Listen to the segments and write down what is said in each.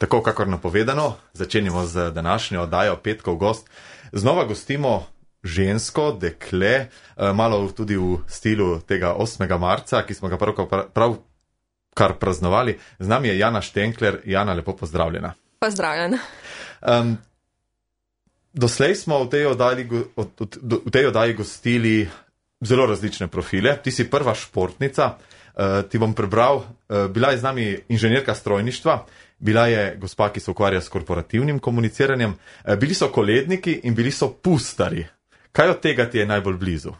Tako kakor napovedano, začenjamo z današnjo oddajo Petkov gost. Znova gostimo žensko, dekle, malo tudi v stilu tega 8. marca, ki smo ga pravkar praznovali. Z nami je Jana Štenkler. Jana, lepo pozdravljena. Pozdravljena. Doslej smo v tej oddaji gostili zelo različne profile. Ti si prva športnica, ti bom prebral, bila je z nami inženirka strojništva, bila je gospa, ki se ukvarja s korporativnim komuniciranjem, bili so koledniki in bili so pustari. Kaj od tega ti je najbolj blizu?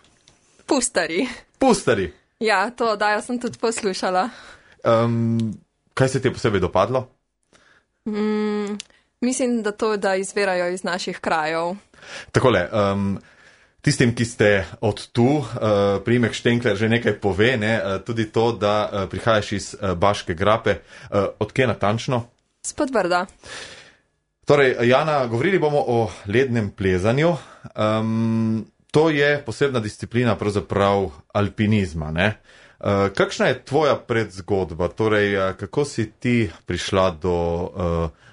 Pustari. Pustari? Ja, to oddajo sem tudi poslušala. Kaj se ti je posebej dopadlo? Mislim, da izvirajo iz naših krajev. Takole, tistim, ki ste od tu, priimek Štenkler že nekaj pove, ne? Tudi to, da prihajaš iz Baške grape. Od kje natančno? S Podbrda. Torej, Jana, govorili bomo o lednem plezanju. To je posebna disciplina pravzaprav alpinizma, ne? Kakšna je tvoja predzgodba? Torej, kako si ti prišla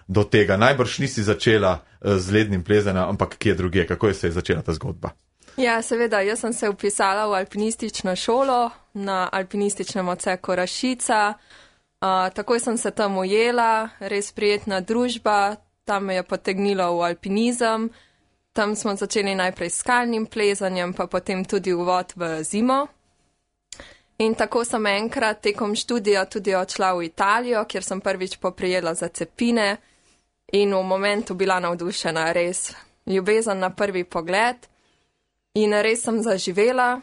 do tega? Najbrž nisi začela z lednim plezanjem, ampak kje druge? Kako se je začela ta zgodba? Ja, seveda, jaz sem se vpisala v alpinistično šolo na alpinističnem odseku Rašica. Takoj sem se tam ujela, res prijetna družba, tam me je potegnilo v alpinizem. Tam smo začeli najprej s skalnim plezanjem, pa potem tudi uvod v zimo. In tako sem enkrat tekom študija tudi odšla v Italijo, kjer sem prvič poprijela za cepine in v momentu bila navdušena, res ljubezen na prvi pogled. In res sem zaživela.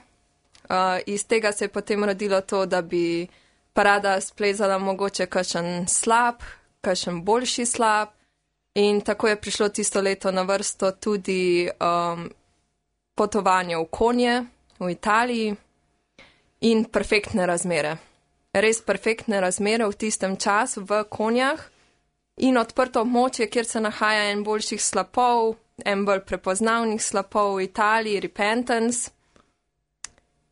Iz tega se je potem rodilo to, da bi pa rada splezala mogoče kakšen slab, kakšen boljši slab. In tako je prišlo tisto leto na vrsto tudi potovanje v konje v Italiji in perfektne razmere. Res perfektne razmere v tistem času v konjah in odprto območje, kjer se nahaja en boljših slapov, en bolj prepoznavnih slapov v Italiji, Repentance.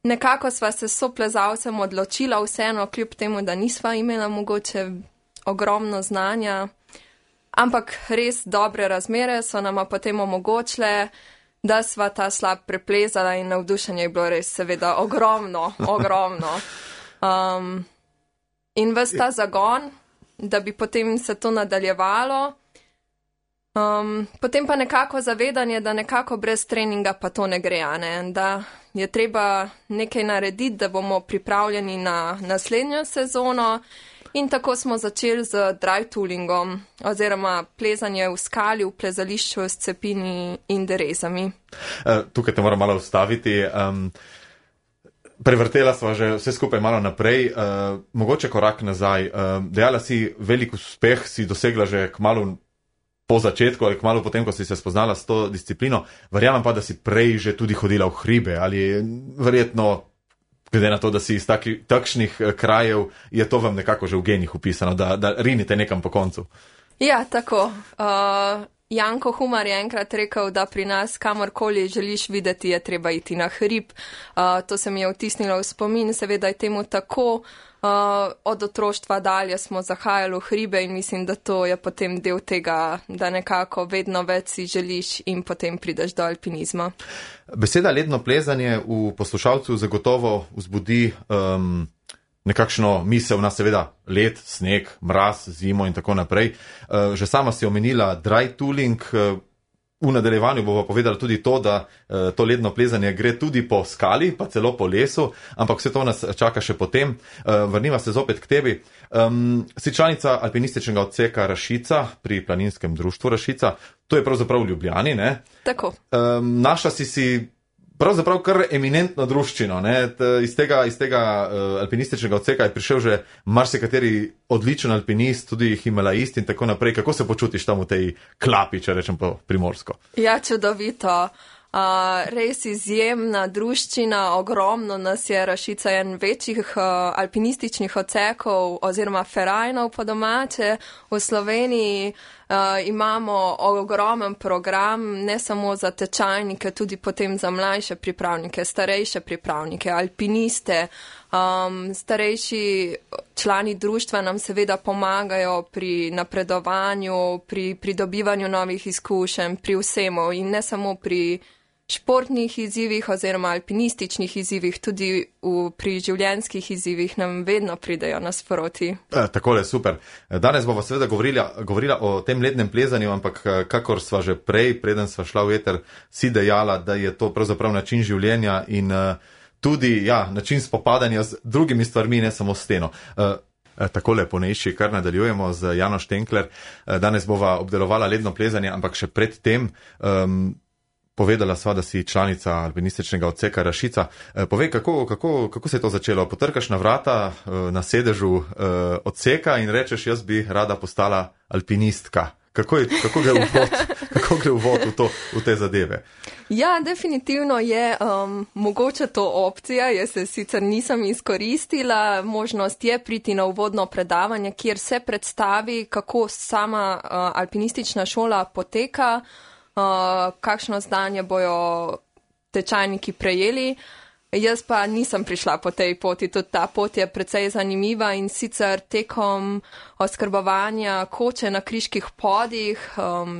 Nekako sva se s soplezalcem odločila vseeno, kljub temu, da nisva imela mogoče ogromno znanja, ampak res dobre razmere so nama potem omogočile, da sva ta slab preplezala in navdušenje je bilo res seveda ogromno. In ves ta zagon, da bi potem se to nadaljevalo, potem pa nekako zavedanje, da nekako brez treninga pa to ne gre, ne? Da je treba nekaj narediti, da bomo pripravljeni na naslednjo sezono. In tako smo začeli z dry toolingom, oziroma plezanje v skali, v plezališču s cepini in derezami. Tukaj te moram malo ustaviti. Prevrtela sva že vse skupaj malo naprej. Mogoče korak nazaj. Dejala si, velik uspeh si dosegla že kmalu po začetku ali kmalu potem, ko si se spoznala s to disciplino. Verjamem pa, da si prej že tudi hodila v hribe ali verjetno, glede na to, da si iz takšnih krajev, je to vam nekako že v genih upisano, da rinite nekam po koncu. Ja, tako. Janko Humar je enkrat rekel, da pri nas kamorkoli želiš videti, je treba iti na hrib. To se mi je vtisnilo v spomin, seveda je temu tako. Od otroštva dalje smo zahajali v hribe in mislim, da to je potem del tega, da nekako vedno več si želiš in potem prideš do alpinizma. Beseda ledno plezanje v poslušalcu zagotovo vzbudi nekakšno misel na seveda led, sneg, mraz, zimo in tako naprej. Že sama si omenila dry tooling. V nadaljevanju bova povedala tudi to, da to ledno plezanje gre tudi po skali, pa celo po lesu, ampak vse to nas čaka še potem. Vrniva se zopet k tebi. Si članica alpinističnega odseka Rašica pri Planinskem društvu Rašica. To je pravzaprav v Ljubljani, ne? Tako. Našla si pravzaprav kar eminentno druščino, ne? Iz tega alpinističnega odseka je prišel že marsikateri odličen alpinist, tudi himalajist in tako naprej. Kako se počutiš tam v tej klapi, če rečem po primorsko? Ja, čudovito. Res izjemna druščina, ogromno nas je. Rašica je en večjih alpinističnih odsekov oziroma ferajnov po domače. V Sloveniji imamo ogromen program, ne samo za tečajnike, tudi potem za mlajše pripravnike, starejše pripravnike, alpiniste. Starejši člani društva nam seveda pomagajo pri napredovanju, pri pridobivanju novih izkušenj, pri vsemu in ne samo pri športnih izzivih oziroma alpinističnih izzivih, tudi pri življenjskih izzivih nam vedno pridejo nasproti. Takole, super. Danes bova seveda govorila o tem lednem plezanju, ampak kakor sva že prej, preden sva šla v eter, si dejala, da je to pravzaprav način življenja in tudi način spopadanja z drugimi stvarmi, ne samo steno. Takole ponejši, kar nadaljujemo z Jano Štenkler. Danes bova obdelovala ledno plezanje, ampak še pred tem povedala sva, da si članica alpinističnega odseka Rašica. Povej, kako se je to začelo? Potrkaš na vrata na sedežu odseka in rečeš, jaz bi rada postala alpinistka. Kako gre uvod v te zadeve? Ja, definitivno je mogoče to opcija. Jaz se sicer nisem izkoristila. Možnost je priti na uvodno predavanje, kjer se predstavi, kako sama alpinistična šola poteka, kakšno znanje bojo tečajniki prejeli. Jaz pa nisem prišla po tej poti, tudi ta pot je precej zanimiva in sicer tekom oskrbovanja koče na Kriških podih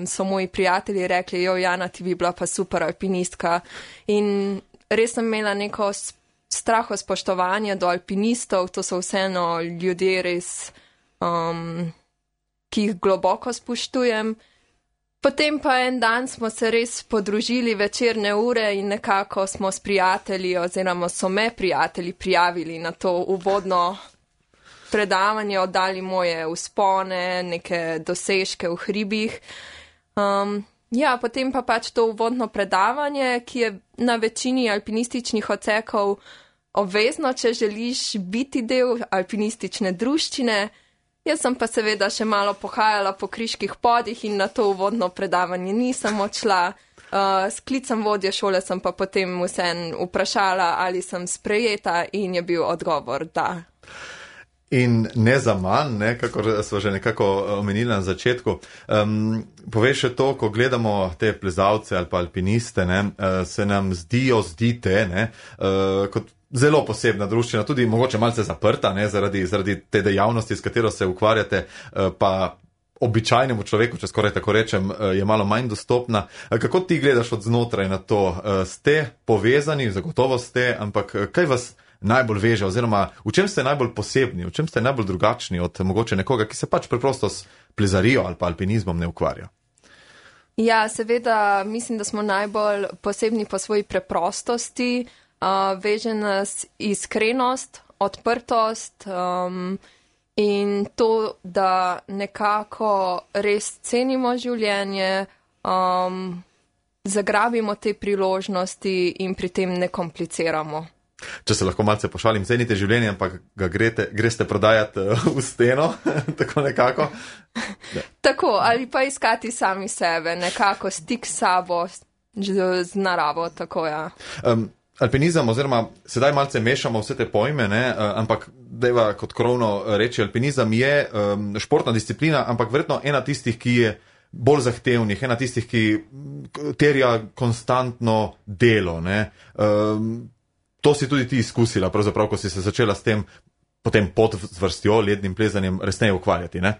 so moji prijatelji rekli, Jana, ti bi bila pa super alpinistka. In res sem imela neko straho spoštovanje do alpinistov, to so vseeno ljudje res, ki jih globoko spoštujem. Potem pa en dan smo se res podružili večerne ure in nekako smo s prijatelji oziroma so me prijatelji prijavili na to uvodno predavanje, oddali moje vzpone, neke dosežke v hribih. Potem pa pač to uvodno predavanje, ki je na večini alpinističnih odsekov obvezno, če želiš biti del alpinistične druščine. Jaz sem pa seveda še malo pohajala po Kriških podih in na to uvodno predavanje nisem odšla. S klicem vodje šole sem pa potem vseeno vprašala, ali sem sprejeta in je bil odgovor da. In ne za manj, kakor smo že nekako omenili na začetku, povej še to, ko gledamo te plezalce ali pa alpiniste, se nam zdite, kot zelo posebna druščina, tudi mogoče malce zaprta, zaradi te dejavnosti, s katero se ukvarjate, pa običajnemu človeku, če skoraj tako rečem, je malo manj dostopna. Kako ti gledaš od znotraj na to? Ste povezani, zagotovo ste, ampak kaj vas najbolj veže, oziroma v čem ste najbolj posebni, v čem ste najbolj drugačni od mogoče nekoga, ki se pač preprosto s plezarijo ali pa alpinizmom ne ukvarja? Ja, seveda mislim, da smo najbolj posebni po svoji preprostosti, veže nas iskrenost, odprtost in to, da nekako res cenimo življenje, zagrabimo te priložnosti in pri tem ne kompliciramo. Če se lahko malce pošalim, cenite življenje, ampak ga greste prodajati v steno, tako nekako? Tako, ali pa iskati sami sebe, nekako stik s sabo, z naravo, tako ja. Alpinizem, oziroma sedaj malce mešamo vse te pojme, ampak dejva kot krovno reči, alpinizem je športna disciplina, ampak verjetno ena tistih, ki je bolj zahtevnih, ena tistih, ki terja konstantno delo. To si tudi ti izkusila, pravzaprav, ko si se začela s tem potem pod zvrstjo, lednim plezanjem, resneje ukvarjati, ne?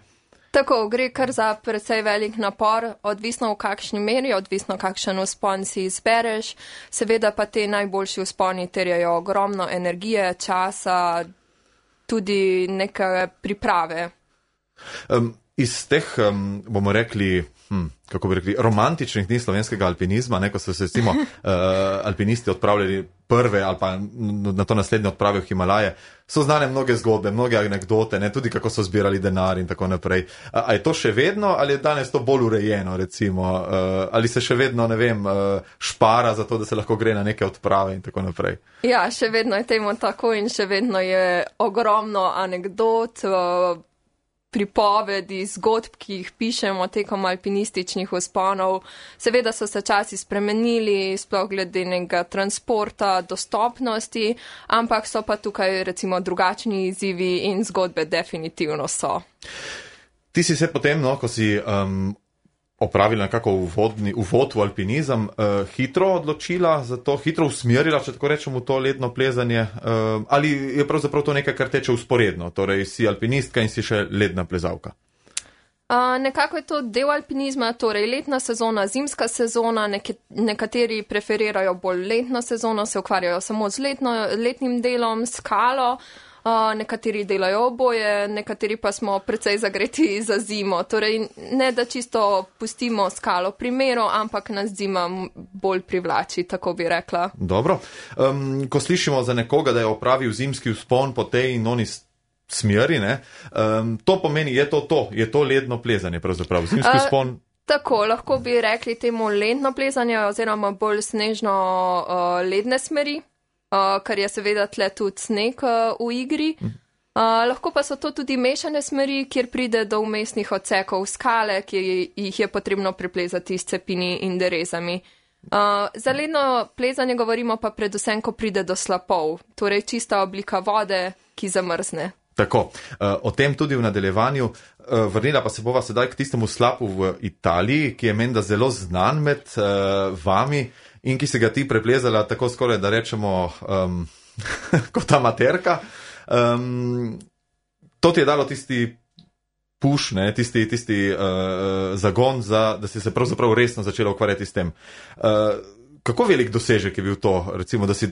Tako, gre kar za precej velik napor, odvisno v kakšni meri, odvisno kakšen vzpon si izbereš. Seveda pa te najboljši vzponi terjajo ogromno energije, časa, tudi neke priprave. Iz teh, bomo rekli, romantičnih dni slovenskega alpinizma, ko so se recimo alpinisti odpravljali prve ali pa na to naslednje odprave v Himalaje, so znane mnoge zgodbe, mnoge anekdote, tudi kako so zbirali denar in tako naprej. A je to še vedno ali je danes to bolj urejeno, recimo? Ali se še vedno, špara za to, da se lahko gre na neke odprave in tako naprej? Ja, še vedno je temu tako in še vedno je ogromno anekdot, pripovedi, zgodb, ki jih pišemo tekom alpinističnih vzponov. Seveda so se časi spremenili, sploh glede nekega transporta, dostopnosti, ampak so pa tukaj recimo drugačni izzivi in zgodbe definitivno so. Ti si se potem, ko si opravila nekako uvod v alpinizem, hitro odločila za to, hitro usmerila, če tako rečemo, to ledno plezanje, ali je pravzaprav to nekaj, kar teče usporedno, torej si alpinistka in si še ledna plezalka? Nekako je to del alpinizma, torej letna sezona, zimska sezona, nekateri preferirajo bolj letno sezono, se ukvarjajo samo z letnim delom, skalo, nekateri delajo oboje, nekateri pa smo precej zagreti za zimo. Torej ne, da čisto pustimo skalo primero, ampak nas zima bolj privlači, tako bi rekla. Dobro. Ko slišimo za nekoga, da je opravil zimski vzpon po tej in oni smeri, ne? To pomeni, je to ledno plezanje pravzaprav, zimski vzpon? Tako, lahko bi rekli temu ledno plezanje oziroma bolj snežno ledne smeri, kar je seveda tle tudi sneg v igri. Lahko pa so to tudi mešane smeri, kjer pride do vmesnih odsekov skale, ki jih je potrebno preplezati s cepini in derezami. Za ledno plezanje govorimo pa predvsem, ko pride do slapov, torej čista oblika vode, ki zamrzne. Tako, o tem tudi v nadaljevanju. Vrnila pa se bova sedaj k tistemu slapu v Italiji, ki je menda zelo znan med vami in ki se ga ti preplezala tako skoraj, da rečemo, kot amaterka. To ti je dalo tisti push, ne, tisti zagon, da si se pravzaprav resno začela ukvarjati s tem. Kako velik dosežek je bil to, recimo, da si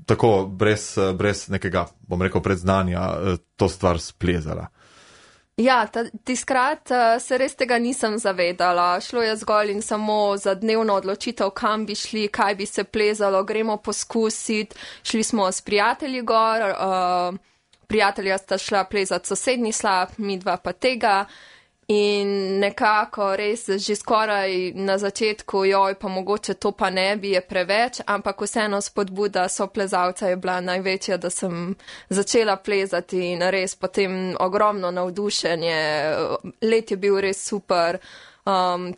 tako brez nekega, bom rekel, predznanja to stvar splezala? Ja, tiskrat se res tega nisem zavedala. Šlo je zgolj in samo za dnevno odločitev, kam bi šli, kaj bi se plezalo, gremo poskusiti. Šli smo s prijatelji gor, prijatelja sta šla plezati sosednji slap, mi dva pa tega. In nekako res že skoraj na začetku, pa mogoče to pa ne bi, je preveč, ampak vseeno spodbuda soplezalca je bila največja, da sem začela plezati in res potem ogromno navdušenje. Let je bil res super,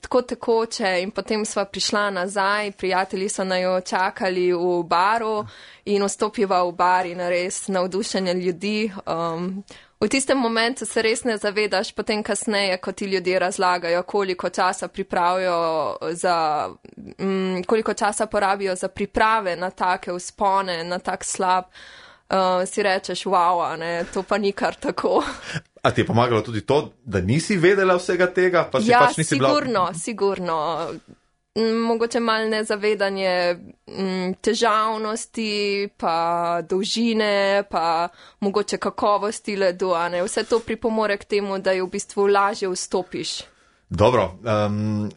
tako tekoče in potem sva prišla nazaj, prijatelji so najo čakali v baru in vstopiva v bar in res navdušenje ljudi. V tistem momentu se res ne zavedaš, potem kasneje, ko ti ljudje razlagajo, koliko časa porabijo za priprave na take vzpone, na tak slab, si rečeš, wow, ne, to pa ni kar tako. A ti je pomagalo tudi to, da nisi vedela vsega tega? Pa si pač nisi sigurno. Mogoče malo nezavedanje težavnosti, pa dolžine, pa mogoče kakovosti ledu, a ne. Vse to pripomore k temu, da je v bistvu lažje vstopiš. Dobro,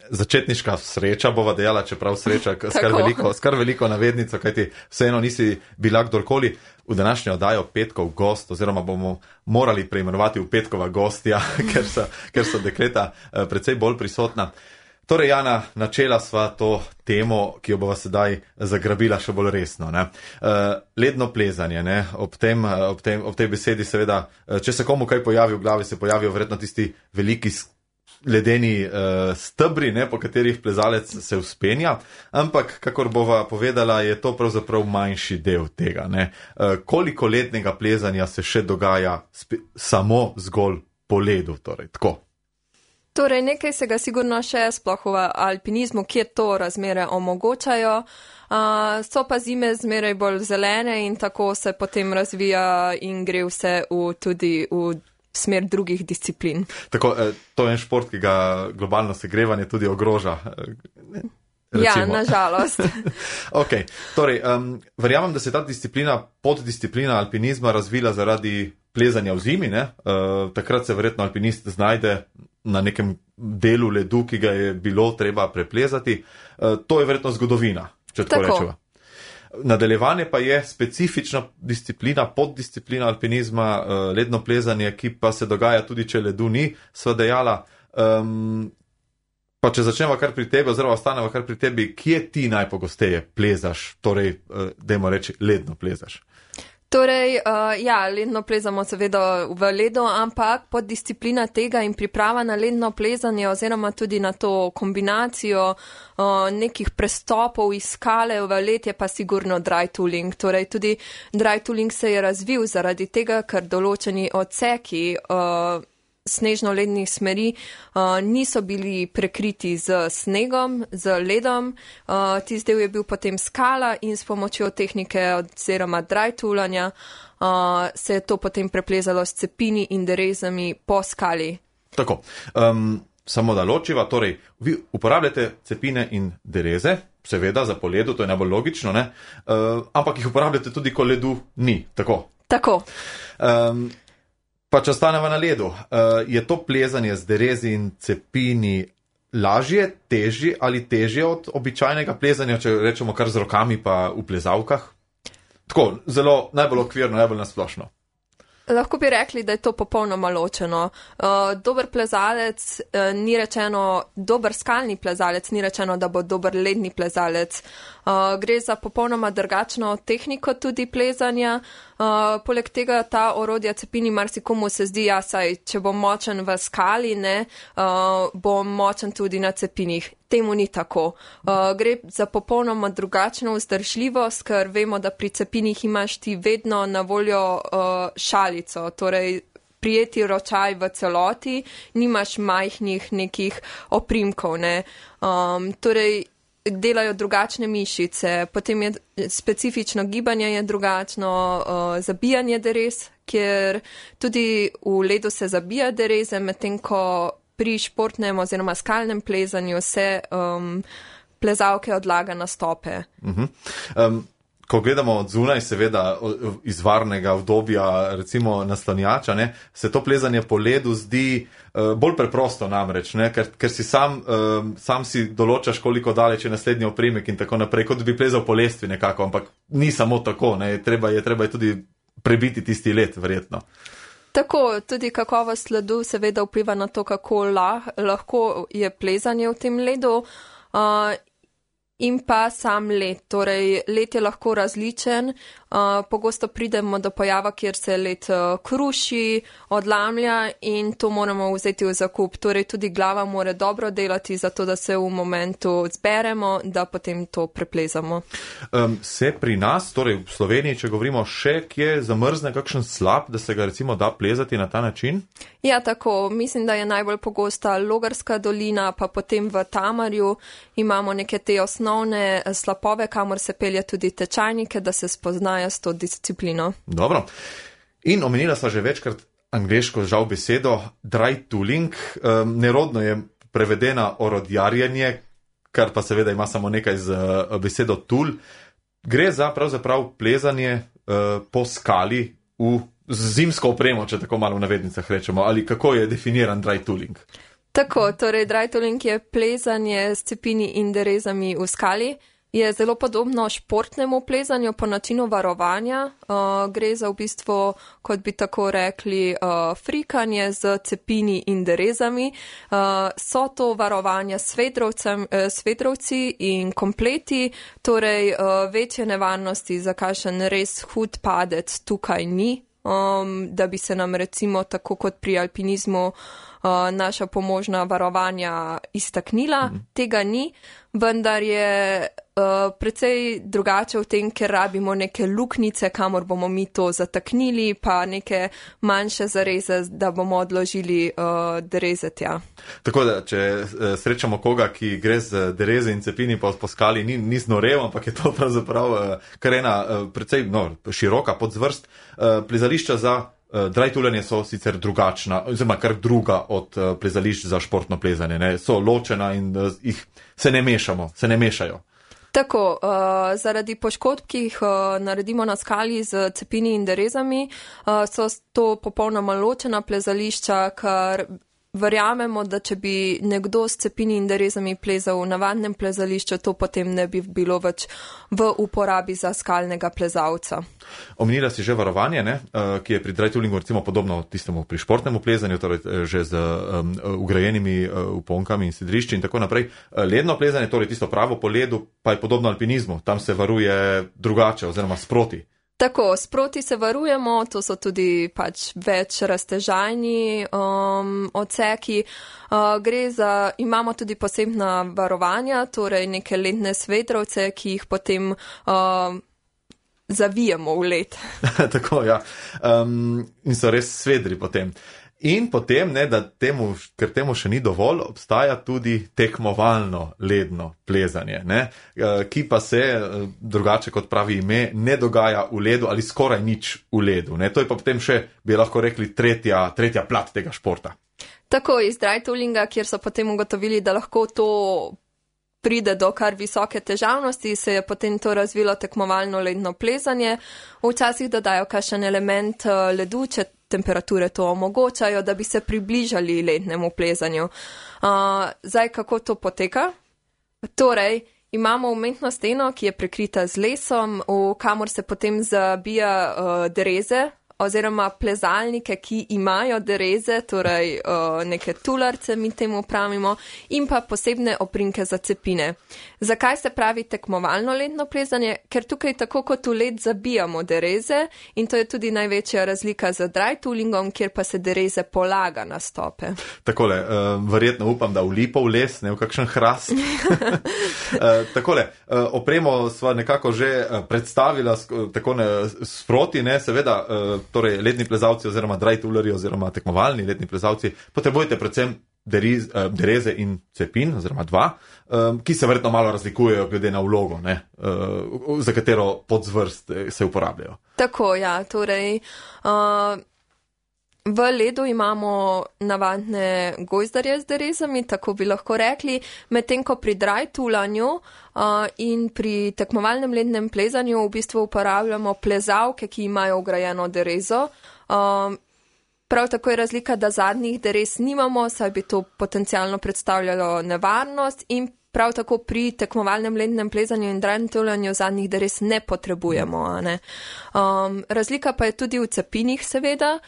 začetniška sreča bova dejala, čeprav sreča skar veliko navednico, kajti vseeno nisi bila kdorkoli. V današnjo oddajo Petkov gost, oziroma bomo morali preimenovati v Petkova gostja, ker so dekleta precej bolj prisotna. Torej, Jana, načela sva to temo, ki jo bova sedaj zagrabila še bolj resno. Ne? Ledno plezanje, ne? Ob tej besedi seveda, če se komu kaj pojavi v glavi, se pojavijo verjetno tisti veliki ledeni stebri, ne, po katerih plezalec se vzpenja, ampak, kakor bova povedala, je to pravzaprav manjši del tega. Ne. Koliko lednega plezanja se še dogaja samo zgolj po ledu, torej tako? Torej, nekaj se ga sigurno še sploh v alpinizmu, kjer to razmere omogočajo, so pa zime zmeraj bolj zelene in tako se potem razvija in gre vse tudi v smer drugih disciplin. Tako, to je en šport, ki ga globalno segrevanje tudi ogroža. Recimo. Ja, nažalost. Ok, torej, verjamem, da se ta poddisciplina alpinizma razvila zaradi plezanja v zimi, ne? Takrat se verjetno alpinist znajde na nekem delu ledu, ki ga je bilo treba preplezati. To je verjetno zgodovina, če tako rečeva. Nadaljevanje pa je specifična disciplina, poddisciplina alpinizma, ledno plezanje, ki pa se dogaja tudi, če ledu ni, sva dejala. Pa če začneva kar pri tebi, oziroma ostaneva kar pri tebi, kje ti najpogosteje plezaš, torej, dajmo reči, ledno plezaš? Torej, ja, ledno plezamo seveda v ledu, ampak poddisciplina tega in priprava na ledno plezanje oziroma tudi na to kombinacijo nekih prestopov iz skale v led je pa sigurno dry tooling. Torej, tudi dry tooling se je razvil zaradi tega, ker določeni odseki snežno-lednih smeri niso bili prekriti z snegom, z ledom. Tisti del je bil potem skala in s pomočjo tehnike oziroma dry toolanja se je to potem preplezalo s cepini in derezami po skali. Tako, samo da ločiva, torej vi uporabljate cepine in dereze, seveda za po ledu, to je najbolj logično, ne? Ampak jih uporabljate tudi, ko ledu ni, tako? Tako. Pa če ostaneva na ledu, je to plezanje z derezi in cepini lažje, težje ali težje od običajnega plezanja, če rečemo kar z rokami pa v plezalkah? Tako, zelo najbolj okvirno, najbolj nasplošno. Lahko bi rekli, da je to popolnoma ločeno. Dober plezalec ni rečeno, dober skalni plezalec ni rečeno, da bo dober ledni plezalec. Gre za popolnoma drugačno tehniko tudi plezanja. Poleg tega ta orodja cepini marsikomu se zdi, ja, saj, če bom močen v skali, bom močen tudi na cepinih. Temu ni tako. Gre za popolnoma drugačno vzdržljivost, ker vemo, da pri cepinih imaš ti vedno na voljo šalico, torej prijeti ročaj v celoti, nimaš majhnih nekih oprimkov, ne. Torej, delajo drugačne mišice, potem je specifično gibanje je drugačno, zabijanje derez, kjer tudi v ledu se zabija dereze, medtem ko pri športnem oziroma skalnem plezanju se plezalke odlaga na stope. Ko gledamo od zunaj, seveda iz varnega obdobja, recimo naslonjača, se to plezanje po ledu zdi bolj preprosto namreč, ker si sam si določaš, koliko daleč je naslednji oprimek in tako naprej, kot bi plezal po lestvi nekako, ampak ni samo tako, treba je tudi prebiti tisti led, verjetno. Tako, tudi kakovost ledu seveda vpliva na to, kako lahko je plezanje v tem ledu. In pa sam led. Torej, led je lahko različen. Pogosto pridemo do pojava, kjer se led kruši, odlamlja in to moramo vzeti v zakup. Torej, tudi glava mora dobro delati, zato da se v momentu zberemo, da potem to preplezamo. Se pri nas, torej v Sloveniji, če govorimo še, kje zamrzne kakšen slap, da se ga recimo da plezati na ta način? Ja, tako. Mislim, da je najbolj pogosta Logarska dolina, pa potem v Tamarju imamo neke te osnovne slapove, kamor se pelje tudi tečajnike, da se spoznajo s to disciplino. Dobro. In omenila sva že večkrat angleško žal besedo dry tooling. Nerodno je prevedena orodjarjenje, kar pa seveda ima samo nekaj z besedo tool. Gre za pravzaprav plezanje po skali z zimsko opremo, če tako malo v navednicah rečemo, ali kako je definiran dry tooling? Tako, torej dry tooling je plezanje s cepini in derezami v skali. Je zelo podobno športnemu plezanju po načinu varovanja. Gre za v bistvu, kot bi tako rekli, frikanje z cepini in derezami. So to varovanja s svedrovci in kompleti, torej večje nevarnosti za kakšen res hud padec tukaj ni. Da bi se nam recimo tako kot pri alpinizmu naša pomožna varovanja iztaknila. Tega ni, vendar je precej drugače v tem, ker rabimo neke luknice, kamor bomo mi to zataknili, pa neke manjše zareze, da bomo odložili dereze tja. Tako da, če srečamo koga, ki gre z dereze in cepini po skali, ni znorev, ampak je to pravzaprav kar ena precej široka podzvrst. Plezališča za dry toolanje so sicer drugačna, oziroma kar druga od plezališč za športno plezanje. So ločena in jih se ne mešajo. Tako, zaradi poškodb, ki jih naredimo na skali z cepini in derezami, so to popolnoma ločena plezališča, kar verjamemo, da če bi nekdo s cepini in derezami plezal v navadnem plezališču, to potem ne bi bilo več v uporabi za skalnega plezalca. Omenila si že varovanje, ki je pri dry toolingu recimo podobno tistemu pri športnemu plezanju, torej že z ugrajenimi uponkami in sidrišči in tako naprej. Ledno plezanje, torej tisto pravo po ledu, pa je podobno alpinizmu. Tam se varuje drugače oziroma sproti. Tako, sproti se varujemo, to so tudi več raztežajni odseki. Imamo tudi posebna varovanja, torej neke ledne svedrovce, ki jih potem zavijemo v led. Tako, ja. In so res svedri potem. In potem, ne, ker temu še ni dovolj, obstaja tudi tekmovalno ledno plezanje, ne, ki pa se, drugače kot pravi ime, ne dogaja v ledu ali skoraj nič v ledu. Ne. To je pa potem še, bi lahko rekli, tretja plat tega športa. Tako iz dry toolinga, kjer so potem ugotovili, da lahko to pride do kar visoke težavnosti, se je potem to razvilo tekmovalno ledno plezanje. Včasih dodajo kakšen element ledu, če temperature to omogočajo, da bi se približali lednemu plezanju. Zdaj, kako to poteka? Torej, imamo umetno steno, ki je prekrita z lesom, v kamor se potem zabija dereze, oziroma plezalnike, ki imajo dereze, torej neke tularce, mi temu pravimo, in pa posebne oprinke za cepine. Zakaj se pravi tekmovalno ledno plezanje? Ker tukaj tako kot v led zabijamo dereze in to je tudi največja razlika z dry toolingom, kjer pa se dereze polaga na stope. Takole, verjetno upam, da v lipov les, ne v kakšen hrast. Takole, opremo sva nekako že predstavila tako sproti, ne, seveda, torej ledni plezalci oziroma dry toolerji oziroma tekmovalni ledni plezalci potrebujete predvsem dereze in cepin oziroma dva, ki se verjetno malo razlikujejo glede na vlogo, ne, za katero podzvrst se uporabljajo. Tako, ja, torej v ledu imamo navadne gojzdarje z derezami, tako bi lahko rekli, medtem ko pri dry toolanju in pri tekmovalnem lednem plezanju v bistvu uporabljamo plezalke, ki imajo vgrajeno derezo. Prav tako je razlika, da zadnjih derez nimamo, saj bi to potencialno predstavljalo nevarnost, in prav tako pri tekmovalnem lednem plezanju in dry toolanju zadnjih derez ne potrebujemo. Ne? Razlika pa je tudi v cepinih, seveda,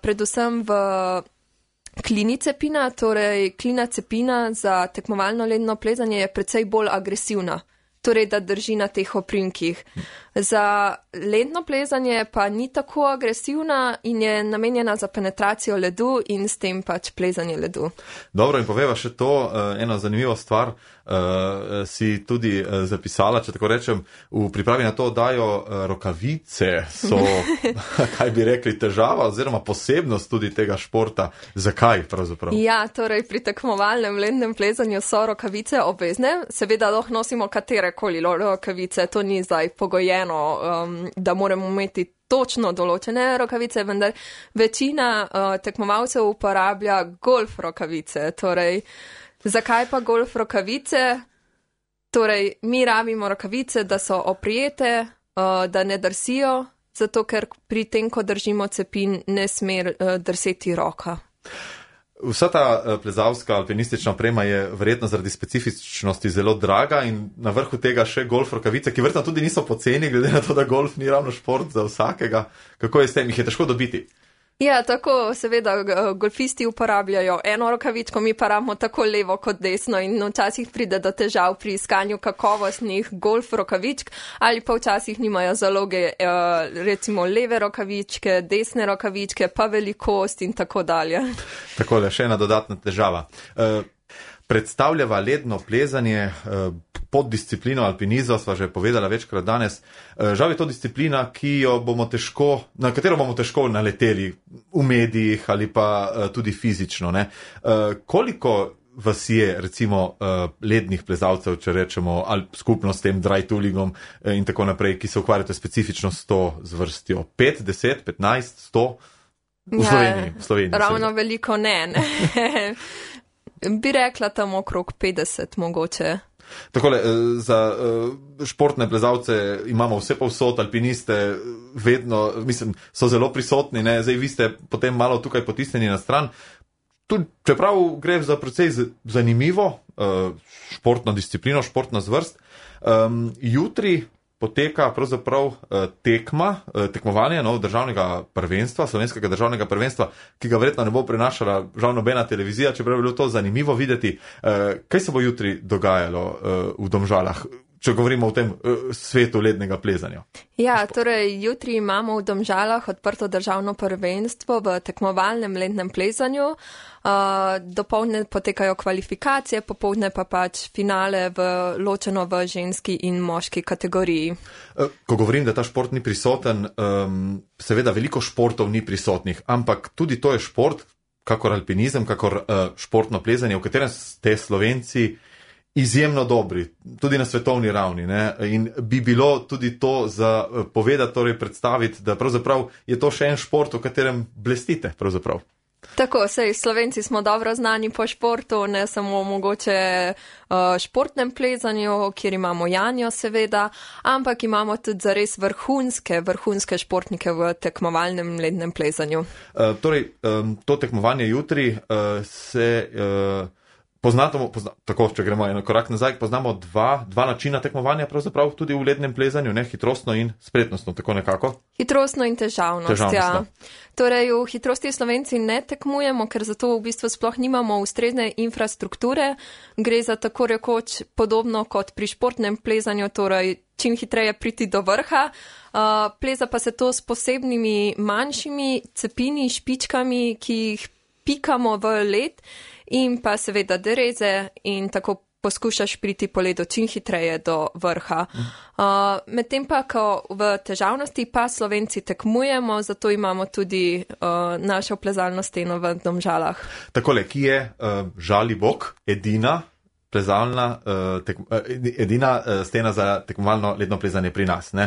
predvsem v klini cepina, torej klina cepina za tekmovalno ledno plezanje je precej bolj agresivna, torej da drži na teh oprinkih. Za ledno plezanje pa ni tako agresivna in je namenjena za penetracijo ledu in s tem pač plezanje ledu. Dobro, in poveva še to, eno zanimivo stvar si tudi zapisala, če tako rečem, v pripravi na to dajo rokavice, so, kaj bi rekli, težava oziroma posebnost tudi tega športa. Zakaj pravzaprav? Ja, torej pri tekmovalnem lednem plezanju so rokavice obvezne, seveda lahko nosimo katerekoli rokavice, to ni zdaj pogojeno, da moramo imeti točno določene rokavice, vendar večina tekmovalcev uporablja golf rokavice. Torej, zakaj pa golf rokavice? Torej, mi rabimo rokavice, da so oprijete, da ne drsijo, zato ker pri tem, ko držimo cepin, ne sme drseti roka. Vsa ta plezalska alpinistična oprema je verjetno zaradi specifičnosti zelo draga in na vrhu tega še golf rokavice, ki verjetno tudi niso poceni, glede na to, da golf ni ravno šport za vsakega. Kako je s tem? Jih je težko dobiti? Ja, tako, seveda, golfisti uporabljajo eno rokavičko, mi pa rabimo tako levo kot desno in včasih pride do težav pri iskanju kakovostnih golf rokavičk ali pa včasih nimajo zaloge, recimo leve rokavičke, desne rokavičke, pa velikost in tako dalje. Takole, še ena dodatna težava. Predstavljava ledno plezanje pod disciplino alpinizma, sva že povedala večkrat danes. Žal je to disciplina, na katero bomo težko naleteli v medijih ali pa tudi fizično. Ne? Koliko vas je, recimo, lednih plezalcev, če rečemo, ali skupno s tem dry toolingom in tako naprej, ki se ukvarjate specifično s to zvrstjo? 5, 10, 15, 100? V Sloveniji. Ravno veliko ne. Bi rekla tam okrog 50 mogoče. Takole, za športne plezalce imamo vse povsod, alpiniste vedno, mislim, so zelo prisotni, ne? Zdaj vi ste potem malo tukaj potisnjeni na stran. Tudi, čeprav gre za precej zanimivo športno disciplino, športna zvrst, jutri poteka pravzaprav tekmovanje državnega prvenstva, slovenskega državnega prvenstva, ki ga verjetno ne bo prenašala žal nobena televizija, čeprav je bilo to zanimivo videti. Kaj se bo jutri dogajalo v Domžalah? če govorimo o tem svetu lednega plezanja. Ja, torej jutri imamo v Domžalah odprto državno prvenstvo v tekmovalnem lednem plezanju. Dopoldne potekajo kvalifikacije, popoldne pa pač finale ločeno v ženski in moški kategoriji. Ko govorim, da ta šport ni prisoten, seveda veliko športov ni prisotnih, ampak tudi to je šport, kakor alpinizem, kakor športno plezanje, v katerem ste Slovenci izjemno dobri, tudi na svetovni ravni. Ne? In bi bilo tudi to za povedati, torej predstaviti, da pravzaprav je to še en šport, v katerem blestite pravzaprav. Tako, sej Slovenci smo dobro znani po športu, ne samo mogoče športnem plezanju, kjer imamo Janjo seveda, ampak imamo tudi zares vrhunske športnike v tekmovalnem lednem plezanju. Torej, to tekmovanje jutri se... Tako, če gremo en korak nazaj, poznamo dva načina tekmovanja pravzaprav tudi v lednem plezanju, ne, hitrostno in spretnostno, tako nekako. Hitrostno in težavnost. Ja. Torej, v hitrosti Slovenci ne tekmujemo, ker zato v bistvu sploh nimamo ustrezne infrastrukture. Gre za tako rekoč podobno kot pri športnem plezanju, torej čim hitreje priti do vrha. Pleza pa se to s posebnimi manjšimi cepini, špičkami, ki jih pikamo v led, in pa seveda dereze in tako poskušaš priti po ledu čim hitreje do vrha. Medtem pa, ko v težavnosti pa Slovenci tekmujemo, zato imamo tudi našo plezalno steno v Domžalah. Takole, ki je Žalibok edina plezalna, edina stena za tekmovalno ledno plezanje pri nas. Ne?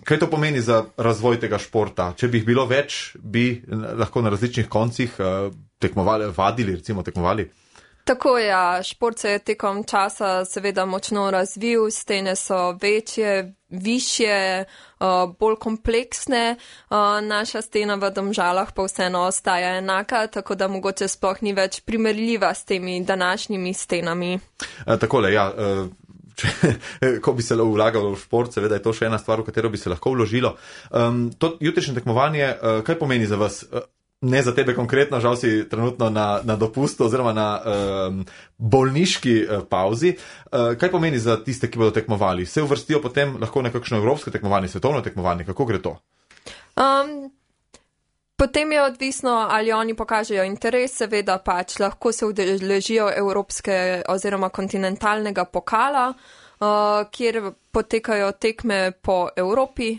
Kaj to pomeni za razvoj tega športa? Če bi jih bilo več, bi lahko na različnih koncih tekmovali? Tako ja, šport se je tekom časa seveda močno razvil, stene so večje, višje, bolj kompleksne. Naša stena v Domžalah pa vseeno ostaja enaka, tako da mogoče sploh ni več primerljiva s temi današnjimi stenami. Takole, ja. Ko bi se vlagalo v šport, seveda je to še ena stvar, v katero bi se lahko vložilo. To jutrišnje tekmovanje, kaj pomeni za vas? Ne za tebe konkretno, žal si trenutno na dopustu oziroma na bolniški pauzi. Kaj pomeni za tiste, ki bodo tekmovali? Se uvrstijo potem lahko na kakšno evropsko tekmovanje, svetovno tekmovanje? Kako gre to? Potem je odvisno, ali oni pokažejo interes, seveda pač lahko se udeležijo evropske oziroma kontinentalnega pokala, kjer potekajo tekme po Evropi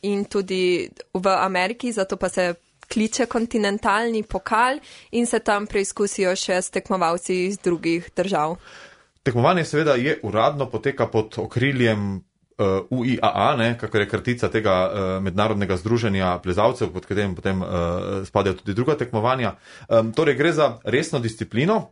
in tudi v Ameriki, zato pa se kliče kontinentalni pokal in se tam preizkusijo še s tekmovalci iz drugih držav. Tekmovanje seveda je uradno, poteka pod okriljem UIAA, ne, kakor je kratica tega mednarodnega združenja plezalcev, pod katerim potem spadajo tudi druga tekmovanja. Torej gre za resno disciplino,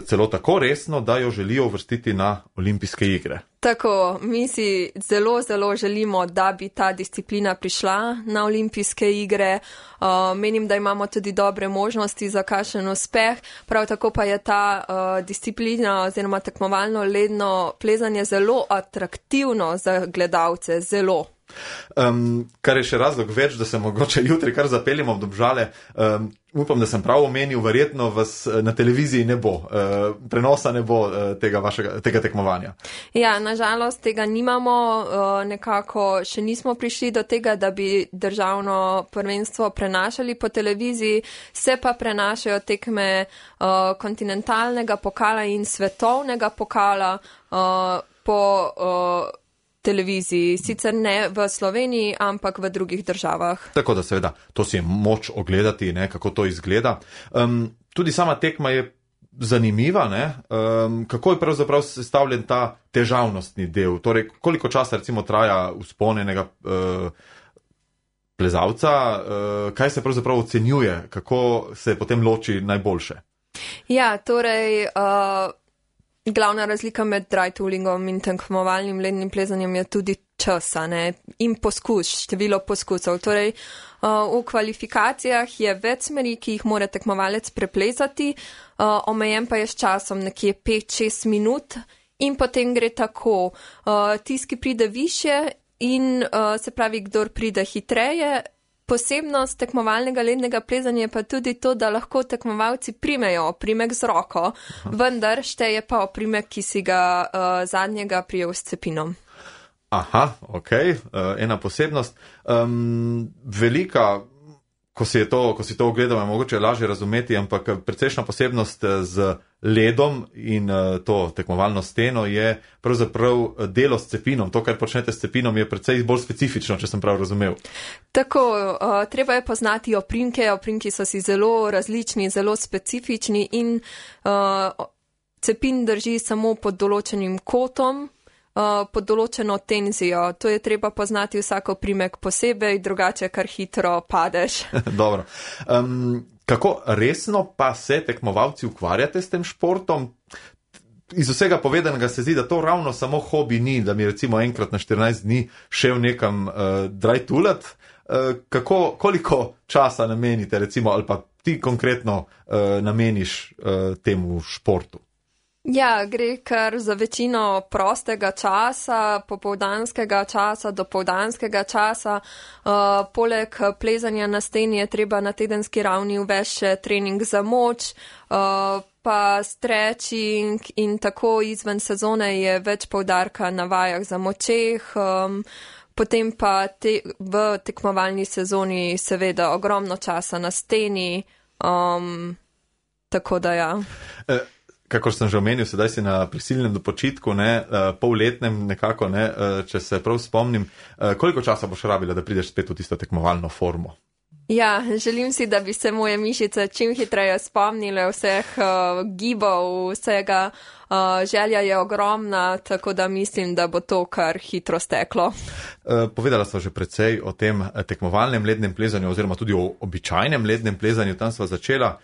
celo tako resno, da jo želijo uvrstiti na olimpijske igre. Tako, mi si zelo, zelo želimo, da bi ta disciplina prišla na olimpijske igre. Menim, da imamo tudi dobre možnosti za kakšen uspeh. Prav tako pa je ta disciplina oziroma tekmovalno ledno plezanje zelo atraktivno za gledalce, zelo. Kar je še razlog več, da se mogoče jutri kar zapeljemo v Domžale. Upam, da sem prav omenil, verjetno vas na televiziji ne bo, prenosa ne bo tega tekmovanja. Ja, nažalost tega nimamo, nekako še nismo prišli do tega, da bi državno prvenstvo prenašali po televiziji, se pa prenašajo tekme kontinentalnega pokala in svetovnega pokala po televiziji, sicer ne v Sloveniji, ampak v drugih državah. Tako da seveda, to si je moč ogledati, ne, kako to izgleda. Tudi sama tekma je zanimiva, ne? Kako je pravzaprav sestavljen ta težavnostni del? Torej, koliko časa recimo traja vzponjenega plezalca, kaj se pravzaprav ocenjuje, kako se potem loči najboljše? Ja, torej... Glavna razlika med dry toolingom in tekmovalnim lednim plezanjem je tudi časa, ne, in število poskusov. Torej, v kvalifikacijah je več smeri, ki jih mora tekmovalec preplezati, omejen pa je s časom nekje 5-6 minut in potem gre tako. Tisti, ki pride više in se pravi, kdor pride hitreje, Posebnost tekmovalnega lednega plezanja je pa tudi to, da lahko tekmovalci primejo oprimek z roko, vendar šteje pa oprimek, ki si ga zadnjega prijel s cepinom. Aha, ok, ena posebnost. Velika, ko si to ogledal, je mogoče lažje razumeti, ampak precejšna posebnost z ledom in to tekmovalno steno je pravzaprav delo s cepinom. To, kar počnete s cepinom, je precej bolj specifično, če sem prav razumel. Tako, treba je poznati oprimke. Oprimki so si zelo različni, zelo specifični in cepin drži samo pod določenim kotom, pod določeno tenzijo. To je treba poznati vsak oprimek posebej, drugače kar hitro padeš. Dobro. Kako resno pa se tekmovalci ukvarjate s tem športom? Iz vsega povedanega se zdi, da to ravno samo hobi ni, da mi recimo enkrat na 14 dni šel nekam drajtulat. Koliko časa namenite recimo, ali pa ti konkretno nameniš temu športu? Ja, gre kar za večino prostega časa, popoldanskega časa, dopoldanskega časa. Poleg plezanja na steni je treba na tedenski ravni uvesti še trening za moč, pa stretching in tako izven sezone je več poudarka na vajah za močeh. Potem pa v tekmovalni sezoni seveda ogromno časa na steni, tako da ja. Kakor sem že omenil, sedaj si na prisilnem dopočitku, polletnem nekako, če se prav spomnim. Koliko časa boš rabila, da prideš spet v tisto tekmovalno formo? Ja, želim si, da bi se moje mišice čim hitreje spomnile vseh gibov, vsega. Želja je ogromna, tako da mislim, da bo to kar hitro steklo. Povedala sva že precej o tem tekmovalnem lednem plezanju oziroma tudi o običajnem lednem plezanju. Tam sva začela,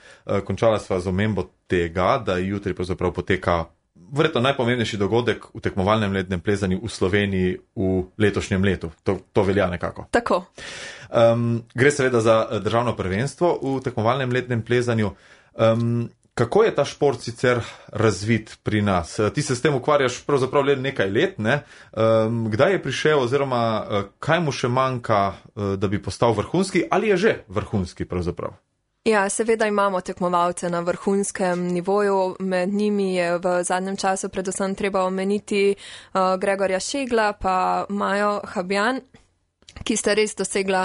končala sva z omembo tega, da jutri pravzaprav poteka verjetno najpomembnejši dogodek v tekmovalnem lednem plezanju v Sloveniji v letošnjem letu. To velja nekako. Tako. Gre seveda za državno prvenstvo v tekmovalnem lednem plezanju. Kako je ta šport sicer razvit pri nas? Ti se s tem ukvarjaš pravzaprav le nekaj let, ne? Kdaj je prišel oziroma kaj mu še manjka, da bi postal vrhunski, ali je že vrhunski pravzaprav? Ja, seveda imamo tekmovalce na vrhunskem nivoju, med njimi je v zadnjem času predvsem treba omeniti Gregorja Šegla pa Majo Habjan, ki sta res dosegla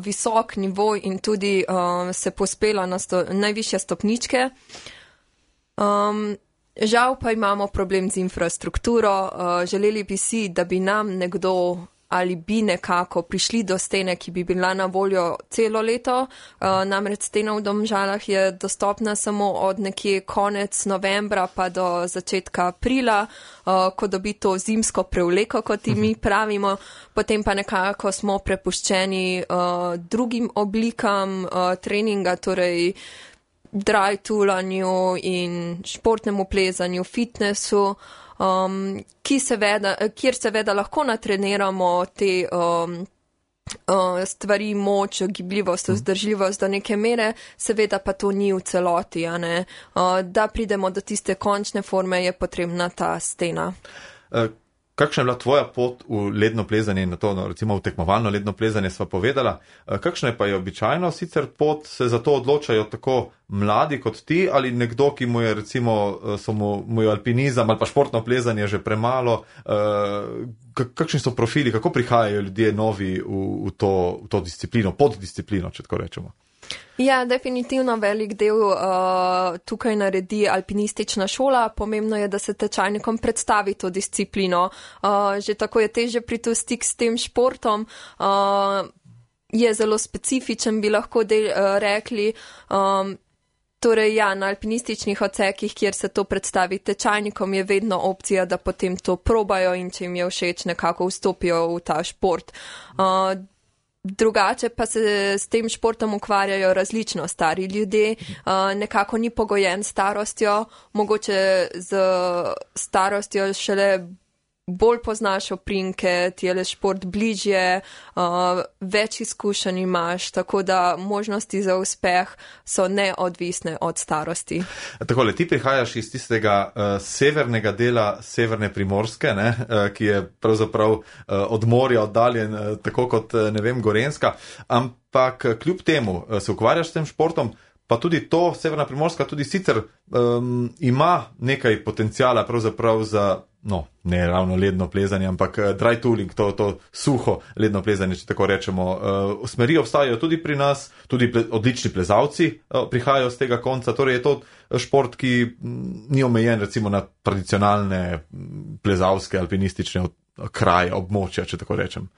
visok nivo in tudi se pospela na najvišje stopničke. Žal pa imamo problem z infrastrukturo. Želeli bi si, da bi nam nekdo ali bi nekako prišli do stene, ki bi bila na voljo celo leto. Namreč stena v Domžalah je dostopna samo od nekje konec novembra pa do začetka aprila, ko dobi to zimsko prevleko, kot mi pravimo. Potem pa nekako smo prepuščeni drugim oblikam treninga, torej drajtulanju in športnemu plezanju, fitnessu, kjer seveda lahko natreniramo te stvari, moč, gibljivost, vzdržljivost do neke mere, seveda pa to ni v celoti, a ne. Da pridemo do tiste končne forme, je potrebna ta stena. Kakšna je bila tvoja pot v ledno plezanje in na to, recimo v tekmovalno ledno plezanje sva povedala? Kakšna je pa je običajno sicer pot, se za to odločajo tako mladi kot ti ali nekdo, ki mu je recimo, mu je alpinizam ali pa športno plezanje že premalo? Kakšni so profili, kako prihajajo ljudje novi v to disciplino, poddisciplino, če tako rečemo? Ja, definitivno velik del tukaj naredi alpinistična šola. Pomembno je, da se tečajnikom predstavi to disciplino. Že tako je težje priti v stik s tem športom. Je zelo specifičen, bi lahko rekli. Torej, ja, na alpinističnih odsekih, kjer se to predstavi tečajnikom, je vedno opcija, da potem to probajo in če jim je všeč, nekako vstopijo v ta šport. Drugače pa se s tem športom ukvarjajo različno stari ljudje, nekako ni pogojen starostjo, mogoče z starostjo šele bolj poznaš oprinke, ti je le šport bližje, več izkušenj imaš, tako da možnosti za uspeh so neodvisne od starosti. Takole, ti prihajaš iz tistega severnega dela severne Primorske, ne, ki je pravzaprav od morja oddaljen, tako kot, ne vem, Gorenjska, ampak kljub temu se ukvarjaš s tem športom, pa tudi to, severna Primorska tudi sicer ima nekaj potencijala pravzaprav za, no, ne ravno ledno plezanje, ampak dry tooling, to suho ledno plezanje, če tako rečemo. Smeri obstajajo tudi pri nas, tudi odlični plezalci prihajajo z tega konca, torej je to šport, ki ni omejen recimo na tradicionalne plezalske, alpinistične kraje, območja, če tako rečem.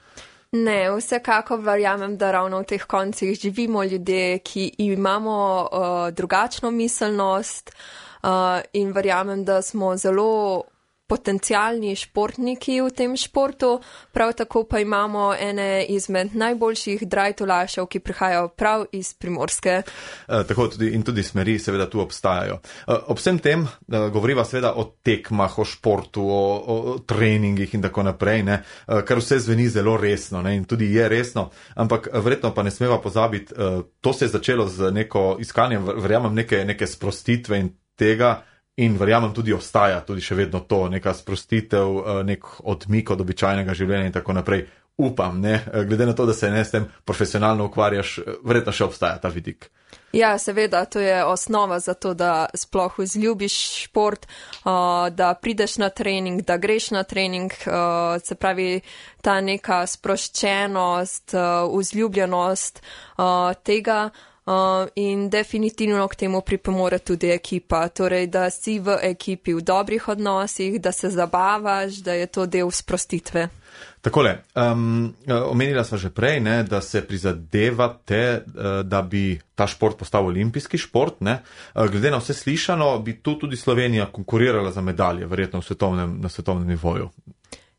Ne, vsekako verjamem, da ravno v teh koncih živimo ljudje, ki imamo drugačno miselnost in verjamem, da smo zelo potencialni športniki v tem športu, prav tako pa imamo ene izmed najboljših drajtolašev, ki prihajajo prav iz Primorske. Tako tudi smeri seveda tu obstajajo. Ob vsem tem govoriva seveda o tekmah, o športu, o treningih in tako naprej, ne, kar vse zveni zelo resno, ne, in tudi je resno, ampak verjetno pa ne smeva pozabiti, to se je začelo z neko iskanjem, verjamem, neke sprostitve in tega, in verjamem tudi ostaja tudi še vedno to, neka sprostitev, nek odmik od običajnega življenja in tako naprej. Upam, ne, glede na to, da se ne s tem profesionalno ukvarjaš, verjetno še obstaja ta vidik. Ja, seveda, to je osnova za to, da sploh vzljubiš šport, da prideš na trening, da greš na trening, se pravi ta neka sproščenost, vzljubljenost tega. In definitivno k temu pripomore tudi ekipa, torej da si v ekipi v dobrih odnosih, da se zabavaš, da je to del sprostitve. Takole, omenila sva že prej, ne, da se prizadevate, da bi ta šport postal olimpijski šport, ne. Glede na vse slišano, bi tu tudi Slovenija konkurirala za medalje, verjetno na svetovnem nivoju.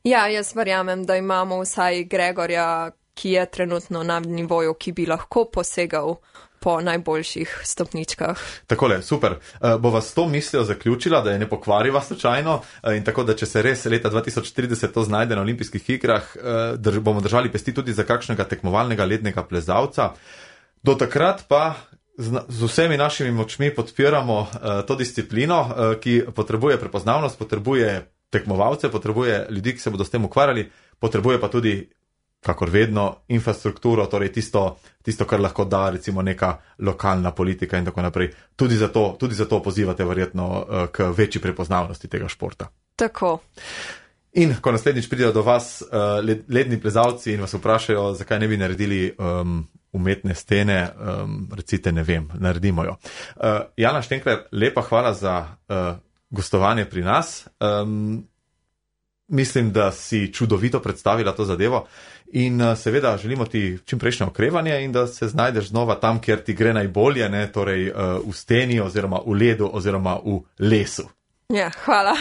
Ja, jaz verjamem, da imamo vsaj Gregorja, ki je trenutno na nivoju, ki bi lahko posegal po najboljših stopničkah. Takole, super. Bova s to mislijo zaključila, da je ne pokvariva slučajno in tako, da če se res leta 2030 to znajde na olimpijskih igrah, bomo držali pesti tudi za kakšnega tekmovalnega lednega plezalca. Do takrat pa z vsemi našimi močmi podpiramo to disciplino, ki potrebuje prepoznavnost, potrebuje tekmovalce, potrebuje ljudi, ki se bodo s tem ukvarjali, potrebuje pa tudi, kakor vedno, infrastrukturo, torej tisto, kar lahko da recimo neka lokalna politika in tako naprej. Tudi zato pozivate verjetno k večji prepoznavnosti tega športa. Tako. In ko naslednjič pridejo do vas ledni plezalci in vas vprašajo, zakaj ne bi naredili umetne stene, recite, ne vem, naredimo jo. Jana Štenkler, lepa hvala za gostovanje pri nas. Mislim, da si čudovito predstavila to zadevo in seveda želimo ti čimprejšnje okrevanje in da se znajdeš znova tam, kjer ti gre najbolje, ne, torej v steni oziroma v ledu oziroma v lesu. Ja, hvala.